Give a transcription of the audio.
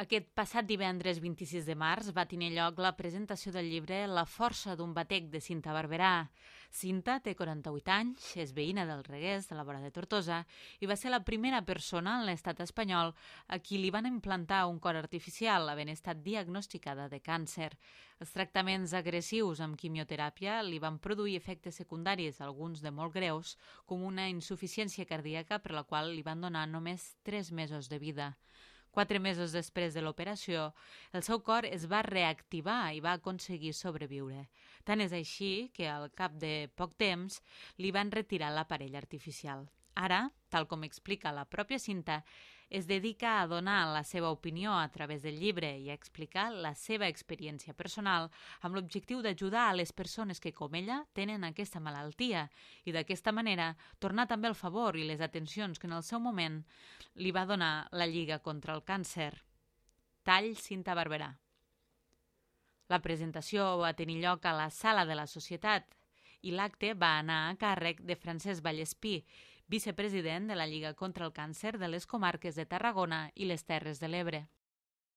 Aquest passat divendres 26 de març va tenir lloc la presentació del llibre La força d'un batec de Cinta Barberà. Cinta té 48 anys, és veïna del Reguers, de la vora de Tortosa, i va ser la primera persona en l'estat espanyol a qui li van implantar un cor artificial, havent estat diagnosticada de càncer. Els tractaments agressius amb quimioteràpia li van produir efectes secundaris, alguns de molt greus, com una insuficiència cardíaca per la qual li van donar només 3 mesos de vida. 4 mesos després de l'operació, el seu cor es va reactivar i va aconseguir sobreviure. Tant és així que al cap de poc temps li van retirar l'aparell artificial. Ara, tal com explica la pròpia Cinta, es dedica a donar la seva opinió a través del llibre i a explicar la seva experiència personal amb l'objectiu d'ajudar a les persones que, com ella, tenen aquesta malaltia i d'aquesta manera tornar també el favor i les atencions que en el seu moment li va donar la Lliga contra el Càncer. Tall Cinta Barberà. La presentació va tenir lloc a la Sala de la Societat i l'acte va anar a càrrec de Francesc Vallespí, vicepresident de la Lliga contra el Càncer de les comarques de Tarragona i les Terres de l'Ebre.